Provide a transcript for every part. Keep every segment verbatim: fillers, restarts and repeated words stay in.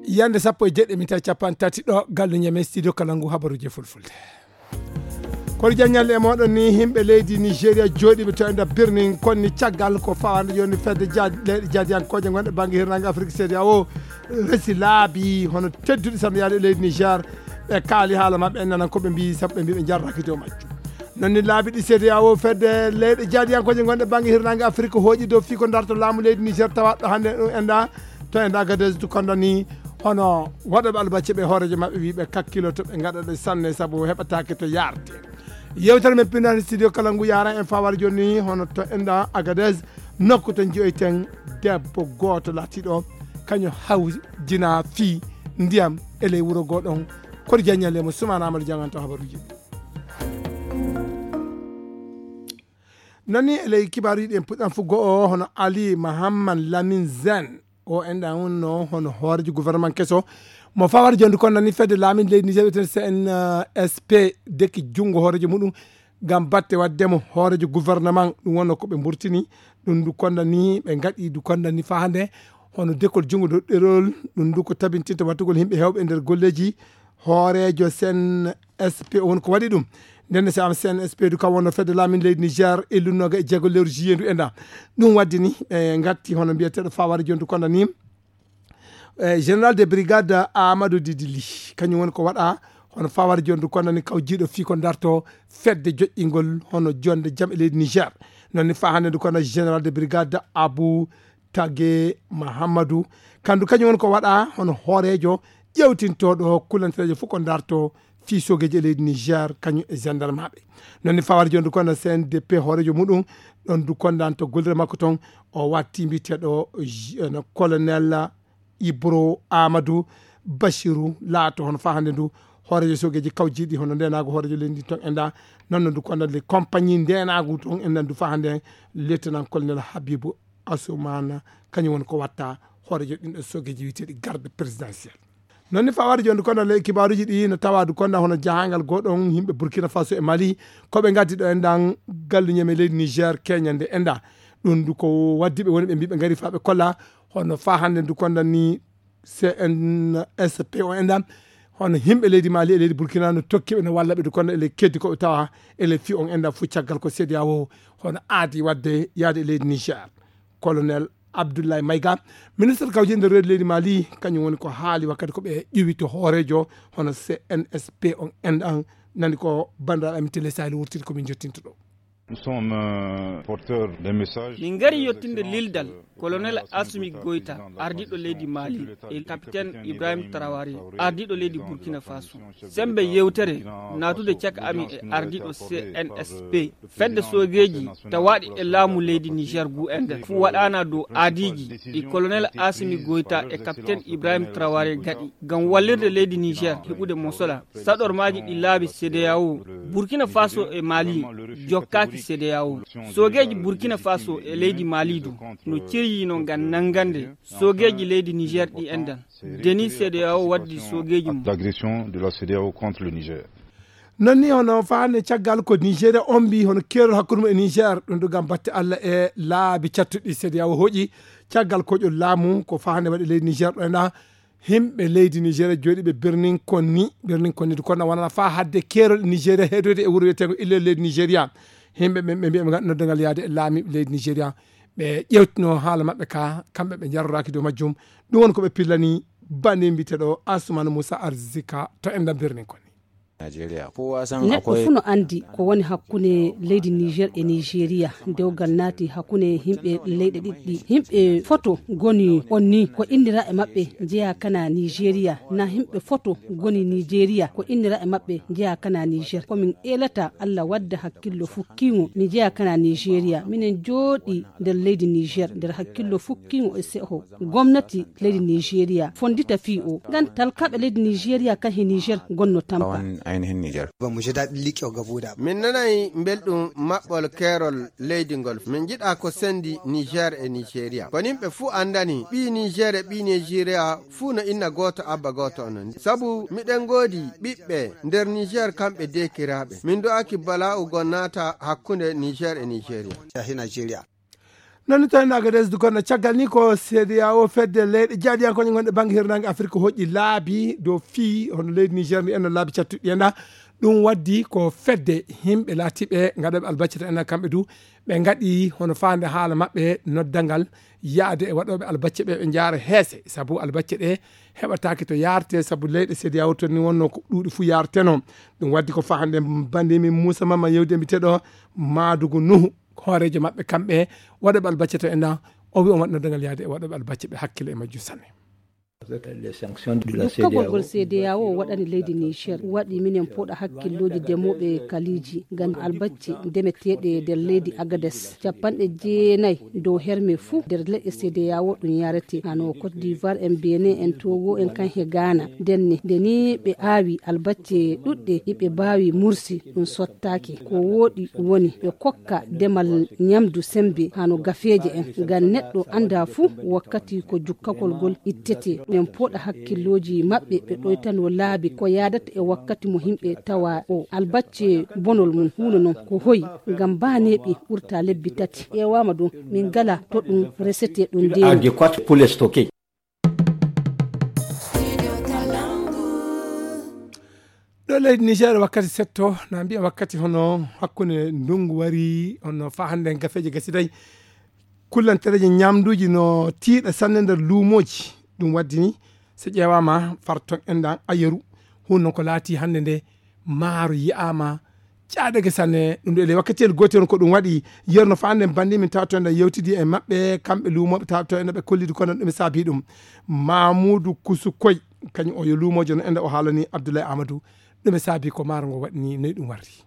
Yande sappo e jeɗɗi minti capanɗe tati ɗo gallu ñeme studio kala ngu habaruji fulfulde. Kono jaññal e moɗon ni, himɓe leydi Nigeria jooɗiiɓe to e nder birnin konni caggal ko fawande joni fedde jaad-, leyɗe jaadiyankooje gonɗe bannge hirnaange Afirka, C D A O, resi laabi hono tedduɗi sanno yaade e leydi Niger. Ɓe kaali haala maɓɓe, en nanan ko ɓe mbii, sabu ɓe mbii ɓe jarraki dow majjum. Non ni laabi ɗi C D A O, fedde leyɗe jaadiyankooje gonɗe bannge hirnaange Afirka, hooƴi dow fii ko darto laamu leydi Niger, tawaɗo hannde ɗum enda to enda Agadez du kondani hono waɗoɓe albacce ɓe hooreejo maɓɓe wii ɓe kakkiloto ɓe ngaɗa ɗe sanne sabu heɓataake to yaarte. Yewtere men pinnaani studio kala ngu yaara en fawar joni hono to enda Agadez, nokku to jiyoyten debbo gooto laatiiɗo kañum hawjina fii ndiyam e ley wuro goo ɗon. Koɗo jaññale mo Sumaana Amadou Janganto habaruuji. Non ni e ley kibaaruuji ɗi en puɗɗan fuggo o hono Ali Mahamman Lamin Zen. O enɗan wonno hono hooreejo gouvernement keso mo fawar jonde kon nani fedde laamin leydi Niger wiyeten C N S P deki junngo hooreejo muɗum ngam batte waɗde mo hooreejo gouvernement. Ɗum wonno ko ɓe mburtini ɗum du konda ni ɓe ngaɗi du konda ni faa hannde hono dekol junngo dow ɗerol. Ɗum du ko tabintinta wattugol yimɓe heewɓe e nder golleeji hooreejo C N S P o woni ko waɗi ɗum. Nden ne, si am C N S P du kam wonno fedde laamin leydi Niger e lunnooga e jeego lewru juillet ndu enɗan. Ɗum waddi ni ɓe ngatti hono mbiyeteeɗo fawar jondu konda ni, eh, général de brigade Amadou Didili, kañum woni ko waɗa hono fawar jondu konda ni kawjiiɗo fii ko darto fedde joƴƴingol hono jonde jam e leydi Niger. Non ni faa hannde ndu konda général de brigade Abou Tage Mahamadou, kandu kañum woni ko waɗa hono hooreejo ƴewtintooɗo kulantereejo fof ko darto fii soogeeji e leydi Niger, kañum e gendarmeaaɓe. Non ni fawar jondu konda C N D P hooreejo muɗum, ɗon du kondan to gollirde makko ton, o watti mbiyeteeɗo J-, no colonel Ibro Amadou Bachirou laato hono faa hannde ndu hooreejo soogeeji kawjiiɗi hono ndeenaagu hooreejo leydi ton enɗan. Non no ndu konda le compagnie ndeenaagu ton enɗan ndu faa hannde lieutenant colonel Habibou Assoumana, kañum woni ko watta hooreejo ɗin ɗo soogeeji wiyeteeɗi garde présidentielle. Non ni fawar jondu konda le kibaaruuji ɗi no tawa du konda hono jahangal goo ɗon yimɓe Burkina Faso e Mali ko ɓe ngaddi ɗo enɗan gallu ñeme leydi Niger keñande enɗan. Ɗum du ko waddi ɓe woni ɓe mbii ɓe ngari faa ɓe kolla hono faa hannde ndu konda ni C N S P o enɗan hono yimɓe leydi Mali e leydi Burkina no tokki ɓe no walla ɓe du konda e ley keddi ko ɓe tawa e ley fii on enɗan fof caggal ko C D A O hono aadi waɗde yaade e leydi Niger. Colonel Abdoulaye Maïga, ministre kawjel nder reedu leydi Mali, kañum woni ko haali wakkati ko ɓe ƴuwi to hooreejo hono C N S P on enɗan. Nani ko banndiraaɓe amin Télé Sahel wurtiri ko min jottinta ɗo. Nous sommes, euh, porteurs d'un message. Min ngari yettinde lildal colonel Assimi Goïta, ardiiɗo leydi Mali, e capitaine Ibrahim Traoré, ardiiɗo leydi Burkina Faso. Semmbe yewtere naatude caka amin e ardiiɗo C N S P, fedde soogeeji tawaaɗi e laamu leydi Niger ngu enɗan, fuu waɗaana dow aadiiji ɗi colonel Assimi Goïta e capitaine Ibrahim Traoré ngaɗi ngam wallirde leydi Niger heɓude mosola saɗormaaji ɗi laabi C D A O. Burkina Faso e Mali jokkaaki C D A O. Soogeeji Burkina Faso e leydi Mali du no ciryino ngam nanngande soogeeji leydi Niger ɗi enɗan. Deni C D A O waddi soogeeji mum. D'agression de la C D A O contre le Niger. Non ni hono faande caggal ko Nigeria ombi hono keerol hakkunde mum e Niger, ɗum ɗo ngam batte Allah e laabi cattuɗi C D A O hooƴi caggal koƴol laamu ko faande waɗi leydi Niger ɗo enɗan. Yimɓe leydi Nigeria jooɗiiɓe Birnin Konni, Birnin Konni du konɗan wonana faa hadde keerol Nigeria heedoyde e wuro wiyeteengo Illel leydi Nigeria. Yimɓe ɓen ɓe mbii ɓe ngaɗa noddangal yaade e laamiiɓe leydi Nigeria, ɓe ƴeewtino haala maɓɓe ka, kamɓe ɓe njaroraaki dow majjum. Ɗum woni ko ɓe pillani bannde mbiyeteeɗo Assoumani Moussa Arzika to enɗan Birnin Konni. Neɗɗo fuu no anndi ko woni hakkunde leydi Niger e Nigeria. Dewgal naati hakkunde yimɓe leyɗe ɗiɗi ɗi. Yimɓe foto ngoni on ni ko innira e maɓɓe njeyaa kana Nigeria, na yimɓe foto ngoni Nigeria ko innira e maɓɓe njeyaa kana Niger. Ko min eelata Allah wadda hakkillo fukkiingo mi jeyaa kana Nigeria. Minen jooɗii nder leydi Niger nder hakkillo fukkiingo e seho. Gomnati leydi Nigeria fonndita fii o. Ngan talkaaɓe leydi Nigeria kan he Niger gonno tampa. Ayni heen Niger. Min nanay mbelɗum maɓɓol keerol leydi ngol. Min njiɗa ko sendi Niger e Nigeria. Ko yimɓe fuu anndani, ɓii Niger e ɓii Nigeria fuu no inna gooto, abba gooto onon. Sabu miɗen ngoodi ɓiɓɓe nder Niger, kamɓe deekiraaɓe. Min du'aki bala'u goo naata hakkunde Niger e Nigeria. Yahina Nigeria. Non ni tawi Agades du kono caggal ni ko C D A O, fedde leyɗe jaaɗiyankooje gonɗe bannge hirnaange Afirka, hoƴƴi laabi dow fii hono leydi Niger ndi enno laabi cattuɗi enɗa. Ɗum waddi ko fedde yimɓe laatiiɓe ngaɗooɓe albacce to enɗa, kamɓe du ɓe ngaɗi hono faande haala maɓɓe noddangal yaade e waɗooɓe albacce ɓe, ɓe njaara heese, sabu albacce ɗe heɓataake to yaarte, sabu leyɗe C D A O to ni wonno ko ɗuuɗi fuu yaarteno. Ɗum waddi ko faa hannde bandi min Moussa Mama yewde mbiteɗo Madugu Nuhu, hooreejo maɓɓe kamɓe waɗooɓe albacce to enɗa. O wi on waɗi noddangal yaade e waɗooɓe albacce ɓe hakkile e majjum sanne. Dukkagol ngol C D A O waɗani leydi Niger waɗi minen pooɗa hakkillooji demooɓe kaliiji ngam albacce demeteeɗe nder leydi Agades. Capanɗe jeenayi dow herme fuu nder leƴƴe C D A O ɗum yarete. Hano Côte d'Ivoire en, Benin en, Togo en, kan he Ghana. Ndenne, nde ni ɓe aawi albacce ɗuɗɗe, iɓe mbaawi mursi, ɗum sottaaki. Ko wooɗi woni ɓe kokka demal ñamdu sembe hano gafeeje en, ngam neɗɗo annda fuu wakkati ko jukkagol ngol ittete. Ɓen pooɗa hakkillooji maɓɓe, ɓe ɗoytano laabi ko yaadata e wakkati mo yimɓe tawa o. Albacce bonol mum huuno non ko hoyi, ngam baaneeɓi ɓurta lebbi tati. Ƴeewaama ɗum, min ngala to ɗum resete ɗum ndeeni. Ɗo leydi Niger wakkati setto, na mbiya wakkati hono hakkunde ndungu wari, hono faa hannde gafeeje gasiday. Kullantereeje ñamduuji no tiiɗa sanne nder luumooji. Ɗum waddi ni, so ƴeewaama farton enɗan ayeru, huun non ko laati hannde nde maaro yi'aama caɗeele sanne. Ɗum ɗo ele wakkatiyel gootel ko ɗum waɗi yerno faa hannde bandi min tawto enɗan yewtidi e maɓɓe, kamɓe luumooɓe tawto enɗan ɓe kollidi kono ɗum e saabi ɗum. Mamuudu Kusu Koy, kañum o yo luumoojo no enɗan o haalani Abdoulaye Amadou. Ɗum e saabi ko maaro ngo waɗi ni, noy ɗum warri.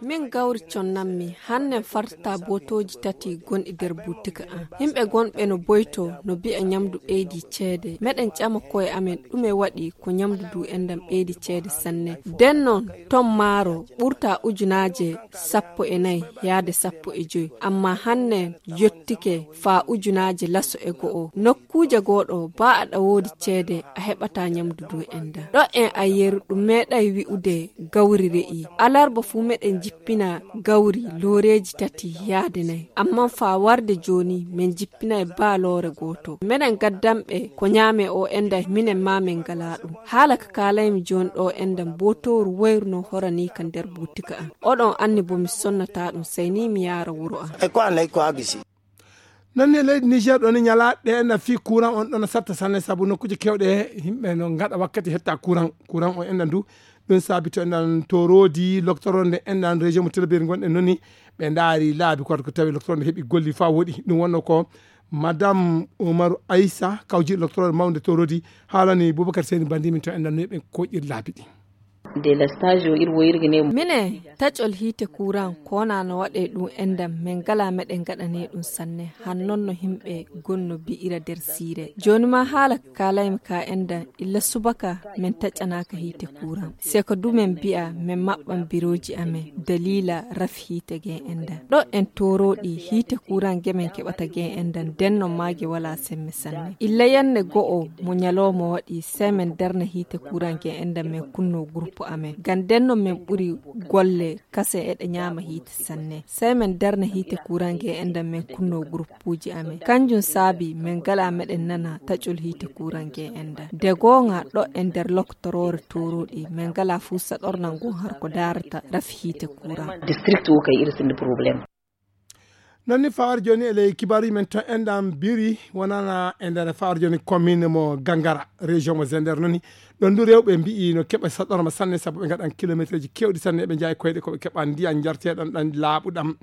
Min gawri connanmi, hannen fartata bootooji tati gonɗi nder buutika an. Yimɓe gonɓe no boyto, no mbi'a ñamdu ɓeydi ceede. Meɗen ƴama koye amen ɗume waɗi ko ñamdu du enɗan ɓeydi ceede sanne. Den non ton maaro ɓurta ujunaaje sappo e nayi yaade sappo e joy. Amma hannen yottike faa ujunaaje laso e go'o. Nokkuuje gooɗo baa aɗa woodi ceede a heɓataa ñamdu du enɗan. Ɗo en ayeru ɗum meeɗay wi'ude gawri re'i. Alarba fuu meɗen jippina gawri looreeji tati yaade nayi. Amma faa warde jooni men jippinay baa loore gooto. Meɗen gaddanɓe ko ñaame o enɗan minen maa men ngalaa ɗum. Haala ka kaalaymi jooni ɗo enɗan bootooru wayru no horanii ka nder buutika an. Oɗon anni bo mi sonnataa ɗum, sey ni mi yaara wuro an. Ay ko an ay ko agisi. Non ne leydi Niger ɗo ni ñalaaɗe enɗan fii courant on ɗon satta sanne sabu nokkuuje keewɗe yimɓe no ngaɗa wakkati hetta courant. Courant o enɗan du ɗum saabi to enɗan toroodi loktoronde enɗan région mo Tilaberi ngonɗen non ni ɓe ndaari laabi ko ko tawi loktoronde heɓi golli faa woɗi. Ɗum wonno ko Madame Umaru Aissa kawji loktoronde mawnde toroodi haalani Boubacar Seyni bandi min to enɗan no ɓe koƴir laabi ɗi. Délestage o ir woyirgine. Mine taƴol hiite kuran kona no waɗe ɗum enɗan men ngala meɗen gaɗane ɗum sanne han non no himɓe gonno bi'ira nder siire. Joni ma haala kalaymi ka enɗan illa subaka men taƴanaka hiite kuran. Seko du men bi'a men maɓɓan biroji amen dalila rafi hiite gen enɗan. Ɗo en toroɗi hiite kuran ge men keɓata gen enɗan den non mage wala semme sanne. Illa yande go'o mo ñalawma waɗi sey men darna hiite kuran gen enɗan men kunno groupe amen. Ngam den non men ɓuri golle kase eɗe ñaama hiite sanne. Sey men darna hiite kuran gen enɗan men kunno groupe uji amen. Kanjum saabi men ngala meɗen nana taƴol hiite kuran gen enɗan. De goonga ɗo e nder loktorore toroɗi men ngala fuu saɗornal ngon har ko darata rafi hiite kuran. District o kay iri sindi problème. Non ni fawar joni e ley kibaru men to enɗan biri wonana e nder fawar joni commune mo Gangara, région mo Zender non ni. Ɗon du rewɓe mbi'i no keɓa saɗorma sanne sabu ɓe ngaɗan kilométre ji kewɗi sanne ɓe njaay koyɗe ko ɓe keɓa ndiyan jarteɗan ɗan laaɓuɗam.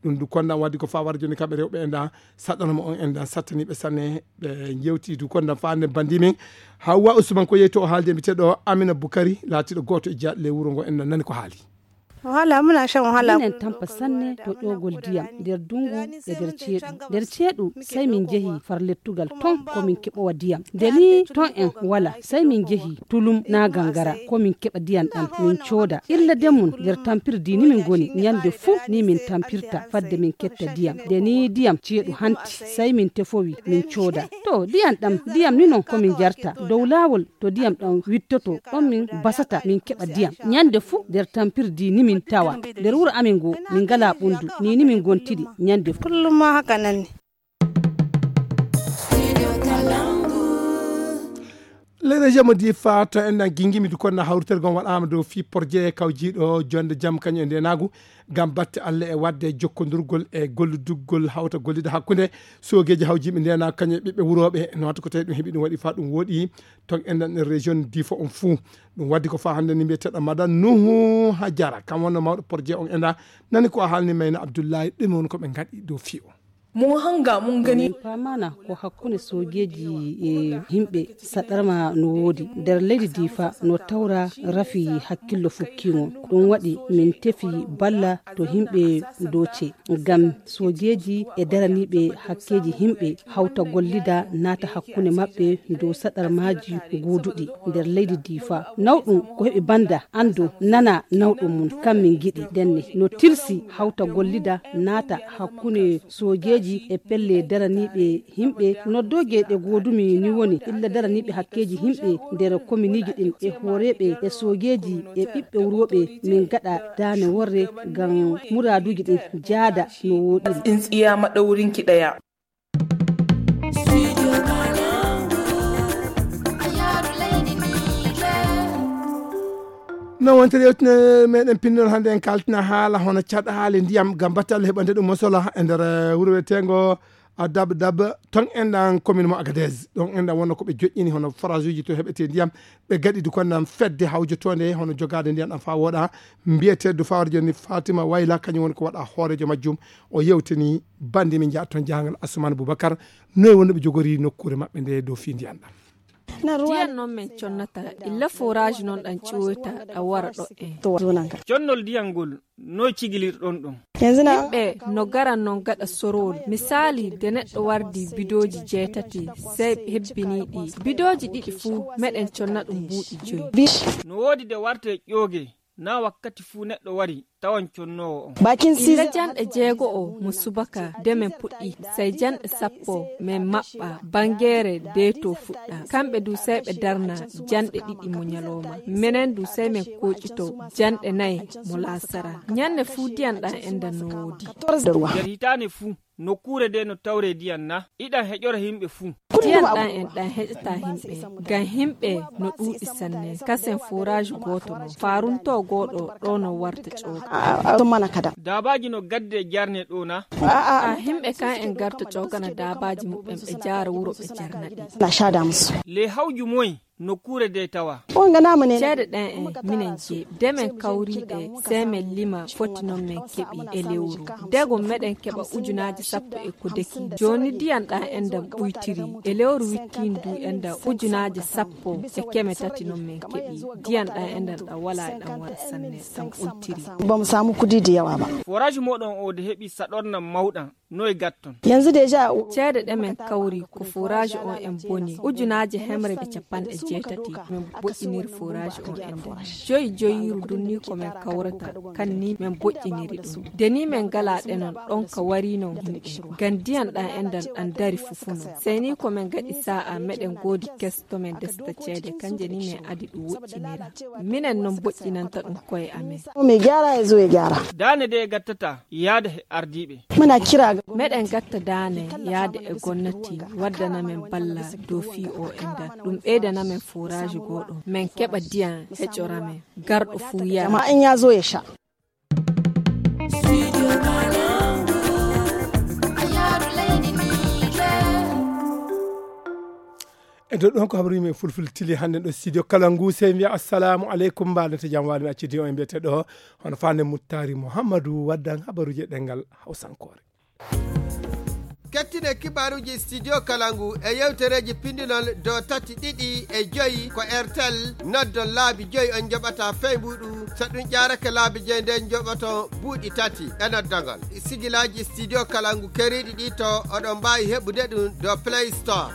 Ɗum du kondan waddi ko fawar joni kamɓe rewɓe enɗan saɗorma on enɗan sattaniɓe sanne ɓe jewti du kondan fande bandi men. Hawwa Usman ko yeyto o haalde mbiteɗo Amina Bukari laatiɗo gooto e jaaɗi ley wuro ngo enɗan nani ko haali. Wahala, muna shan wahala. Minen tampa sanne to ƴoogol diyam nder dungu e nder ceeɗu. Nder ceeɗu, sai min jehi far lettugal ton ko min keɓowa diyam. Nde ni ton en wala, sai min jehi tulum na gangara ko min keɓa diyam ɗam min cooda. Illa den mun nder tampirdi ni min ngoni. Nyande fu ni min tampirta fadde min ketta diyam. Nde ni diyam ceeɗu hanti, sai min tefowi min cooda. To diyam ɗam, diyam ni non ko min jarta. Dow laawol to diyam ɗam wittoto, ɗon min basata min keɓa diyam. Nyande fu nder tampirdi ni min tawa. Nder wuro amin ngo min ngala ɓundu, ni ni min gontiri nyande fu. Kullum ma haka nan ne. Les régions mo difa to en ɗan gingimi du konna hawritere gon waɗama dow fi porje kawjiɗo jonde jam kañum e ndenagu ngam batte Allah e wadde jokkondurgol e golludugol hawta gollida hakkunde sogeji hawjiɓe ndenagu kañum e ɓiɓɓe wuroɓe no watta ko tawi ɗum heɓi ɗum waɗi fa ɗum woɗi ton en ɗan région difa on fuu. Ɗum waddi ko fa hannde ni mbiyeteɗo madan nuhu hajara kam wonno mawɗo porje on enda nani ko a haalni mayna abdoullahi ɗum woni ko ɓe ngaɗi dow fi o. Mo hanga mo ngani. Min paamaana ko hakkunde soojeeji e yimɓe saɗarma no woodi nder leydi difa no tawra rafi hakkillo fukkiŋo. Ɗum waɗi min tefi balla to yimɓe doce ngam soojeeji e daraniiɓe hakkeeji yimɓe hawta gollida naata hakkunde maɓɓe dow saɗarmaaji guuduɗi nder leydi difa. Nawɗum ko heɓi banda anndo nana nawɗum mum kam min ngiɗi ndenne no tilsi hawta gollida naata hakkunde soojeeji e pelle daraniiɓe yimɓe. Noddooje ɗe goodumi ni woni illa daraniiɓe hakkeeji yimɓe nder kominiiji ɗin e hooreeɓe e soojeeji e ɓiɓɓe wurooɓe min ngaɗa daane worre ngam muraaduuji ɗin jaada no wooɗiri. Tsintsiya maɗaurin ki ɗaya. No wontiri yewtine meɗen pinnol hannde en kaltina haala hono caɗaale ndiyam ngam batte Allah heɓande ɗum mosola e nder wuro wiyetengo a dab dab ton enɗan commune mo agadez ɗon enɗan wonno ko ɓe joƴƴini hono forage uji to heɓete ndiyam ɓe gaɗi du konnan fedde hawjotonde hono jogade ndiyam ɗam fa woɗa mbiyete du fawre joni fatima wayla kañum woni ko waɗa hoorejo majjum. O yewtini bandi min jaa ton jahangal assoumane boubacar noy wonno ɓe jogori nokkure maɓɓe nde dow fi ndiyam ɗam. Diyan noon min connata illa forage noon ɗan ƴiwoyta ɗa wara ɗo en. Connol diyan ngol noy cigilirɗon ɗum? Yimɓe no garan noon gaɗa sorowol misali de neɗɗo wardi bidooji jeetati sey hebbiniiɗi bidooji ɗiɗi fuu meɗen conna ɗum buuɗi joyi. No woodi de warte ƴooge na wakkati fuu neɗɗo wari tawan connoowo on. Illa janɗe jeego o mo subaka de men puɗɗi sey janɗe sappo men maɓɓa bangeere deeto fuɗɗa kamɓe du sey ɓe darna janɗe ɗiɗi mo ñalooma menen du sey men koƴito janɗe nayi mo laasara. Ñanne fuu diyan ɗan endan no woodi. Nder hitaane fuu nokkuure de no tawre diyan na iɗan heƴora himɓe fuu. Diyan ɗan en ɗan heƴata himɓe ngam himɓe no ɗuuɗi sanne kasen forage gooto no faarunto gooɗo ɗo no warta cooka. Daabaaji no gadde jarne ɗo na. A himɓe kan en garta cookana daabaaji muɓɓen ɓe jaara wuro ɓe jarna ɗi. Le hawju moy nokkuure de tawa. Ceede ɗen en minen jeeɓi de men kawriɗe sey men lima foti non men keɓi e lewru. Dego meɗen keɓa ujunaaji sappo e ko deki jooni diyan ɗan endan ɓuytiri e lewru wikkin du endan ujunaaji sappo e keme tati non men keɓi diyan ɗan endan ɗan wala e ɗan wara sanne ɗan ɓuytiri. Ba mu samu kuɗi da yawa ba. Forage moɗon o de heɓi saɗornan mawɗan. Noy gatton? Yanzu déjà. Ceede ɗe men kawri ko forage on en boni ujunaaji hemre e capanɗe jeetati men boƴƴiniri forage on en dani joyi joyiru dunni ko men kawrata kan ni men boƴƴiniri ɗum deni men gala ɗe non ɗon ka wari non himɓe ngam diyan ɗan endan ɗan dari fufuno sey ni ko men gaɗi sa'a meɗen goodi kes to men desta ceede kanje ni men adi ɗum woƴƴinira minen non boƴƴinanta ɗum koye amen. Mai gyara ya zo ya gyara. Daane de gattata yaada he ardiiɓe. Muna kira ga. Meɗen gatta daane yaade e gonnati waddana men balla dow fii o endan ɗum ɓeydana men forage gooɗo men keɓa diyan heƴora men garɗo fuu yara. Amma in ya zo ya sha. E dow ɗon ko habaruji men fulfil tili hannden ɗo studio kala ngu sey mbiya assalamu aleykum mbaɗata jam wali mi accidi o e mbiyete ɗo hono fande muttari mouhammadou waddan habaruji e ɗengal hawsankore. Kettine kibaaruuji Studio Kalangu e yewtereeji pindinol dow tati, ɗiɗi e joyi ko Airtel. Noddon laabi joyi on njoɓata fey mbuuɗu. So ɗum ƴaarake laabi joyi nden njoɓoton buuɗi tati e noddagol. Sigilaaji Studio Kalangu keriiɗi ɗi to oɗon mbaawi heɓude ɗum dow Play Store.